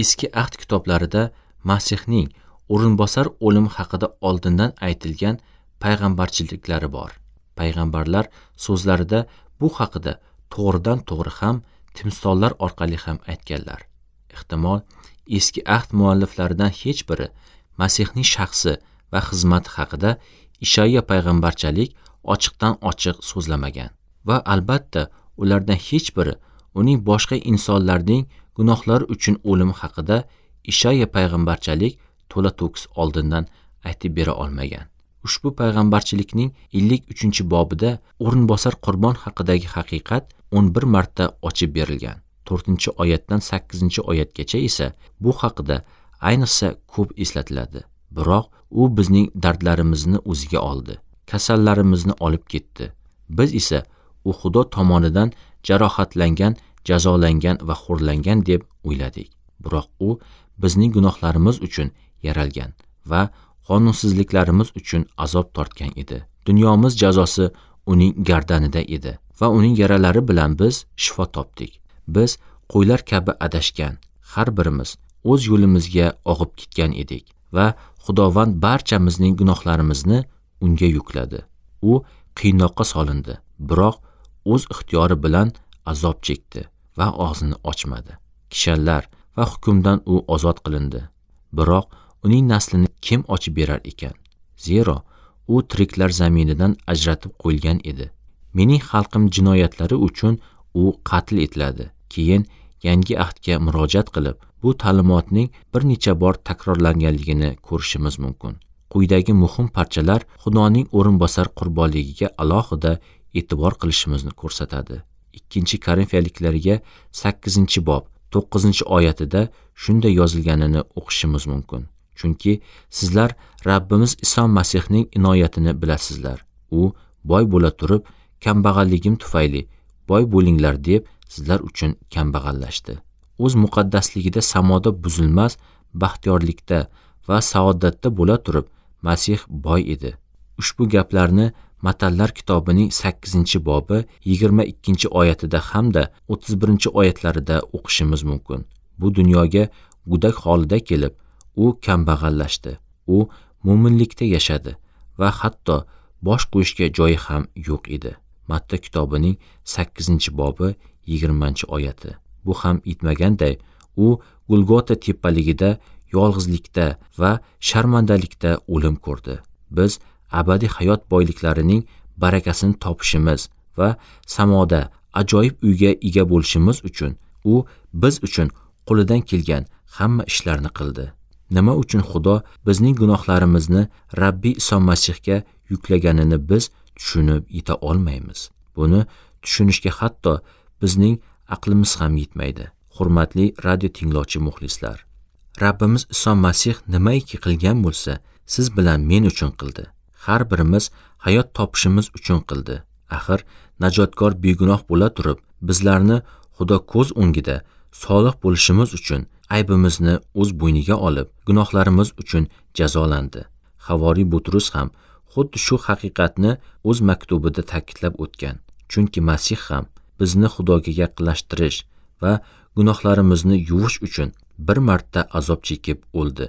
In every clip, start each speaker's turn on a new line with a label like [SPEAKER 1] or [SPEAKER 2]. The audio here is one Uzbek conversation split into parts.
[SPEAKER 1] Eski Ahd kitoblarida Masihning o'rinbosar o'limi haqida oldindan aytilgan payg'ambarchiliklari bor. Payg'ambarlar so'zlarida bu haqida to'g'ridan to'g'ri ham, timsollar orqali ham aytganlar. Ehtimol, Eski Ahd mualliflaridan hech biri Masihning shaxsi va xizmati haqida Ishayya payg'ambarchalik ochiqdan ochiq so'zlamagan va albatta ulardan hech biri uning boshqa insonlarning gunohlari uchun o'limi haqida Ishayya payg'ambarchalik to'la to'kis oldindan aytib bera olmagan. Ushbu payg'ambarchilikning 53-bobida o'rinbosar qurbon haqidagi haqiqat 11 marta ochib berilgan. 4-oyatdan 8-oyatgacha esa bu haqida ayniqsa ko'p eslatiladi. Biroq u bizning dardlarimizni o'ziga oldi, kasallarimizni olib ketdi. Biz esa u Xudo tomonidan jarohatlangan, jazolangan va xo'rlangan deb o'yladik. Biroq u bizning gunohlarimiz uchun yaralgan va qonunsizliklarimiz uchun azob tortgan edi. Dunyomiz jazosi uning gardanida edi va uning yaralari bilan biz shifo topdik. Biz qo'ylar kabi adashgan, har birimiz o'z yo'limizga og'ib ketgan edik va Xudovand barchamizning gunohlarimizni unga yukladi. U qiynoqqa solindi, biroq o'z ixtiyori bilan azob chekdi va og'zini ochmadi. Kishanlar va hukmdan u ozod qilindi. Biroq uning naslini kim ochib berar ekan? Zero u tiriklar zaminidan ajratib qo'yilgan edi. Mening xalqim jinoyatlari uchun u qatl etiladi. Keyin Yangi Ahdga murojaat qilib, bu ta'limotning bir necha bor takrorlanganligini ko'rishimiz mumkin. Quyidagi muhim parchalar Xudoning o'rinbosar qurbonligiga alohida e'tibor qilishimizni ko'rsatadi. 2-Korinfiyaliklarga 8-bob 9-oyatida shunday yozilganini o'qishimiz mumkin. Chunki sizlar Rabbimiz Iso Masihning inoyatini bilasizlar. U boy bo'la turib, kambag'alligim tufayli boy bo'linglar deb sizlar uchun kambag'allashdi. O'z muqaddasligida samoda buzilmas baxtiyorlikda va saodatda bo'la turib, Masih boy edi. Ushbu gaplarni Matallar kitobining 8-bobi 22-oyatida hamda 31-oyatlarida o'qishimiz mumkin. Bu dunyoga gudak holida kelib, u kambag'allashdi. U mo'minlikda yashadi va hatto bosh qo'yishga joyi ham yo'q edi. Matta kitobining 8-bobi 20-oyati. Bu ham yetmaganday, u Golgota tepaligida yolg'izlikda va sharmandalikda o'lim ko'rdi. Biz abadiy hayot boyliklarining barakasini topishimiz va samoda ajoyib uyga ega bo'lishimiz uchun u biz uchun qo'lidan kelgan hamma ishlarni qildi. Nima uchun Xudo bizning gunohlarimizni Rabbiy Iso Masihga yuklaganini biz tushunib yeta olmaymiz. Buni tushunishga hatto bizning aqlimiz ham yetmaydi. Hurmatli radio tinglovchi muxlislar, Rabbimiz Iso Masih nimaiki qilgan bo'lsa, siz bilan men uchun qildi. Har birimiz hayot topishimiz uchun qildi. Axir najotkor begunoh bo'la turib, bizlarni Xudo ko'z o'ngida solih bo'lishimiz uchun aybimizni o'z bo'yniga olib, gunohlarimiz uchun jazolandi. Havoriy Butrus ham xuddi shu haqiqatni o'z maktubida ta'kidlab o'tgan. Chunki Masih ham bizni Xudoga yaqinlashtirish va gunohlarimizni yuvish uchun bir marta azob chekib o'ldi.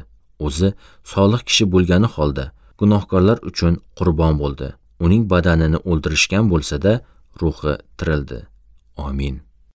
[SPEAKER 1] O'zi solih kishi bo'lgani holda gunohkorlar uchun qurbon bo'ldi. Uning badanini o'ldirishgan bo'lsa-da, ruhi tirildi. Amin.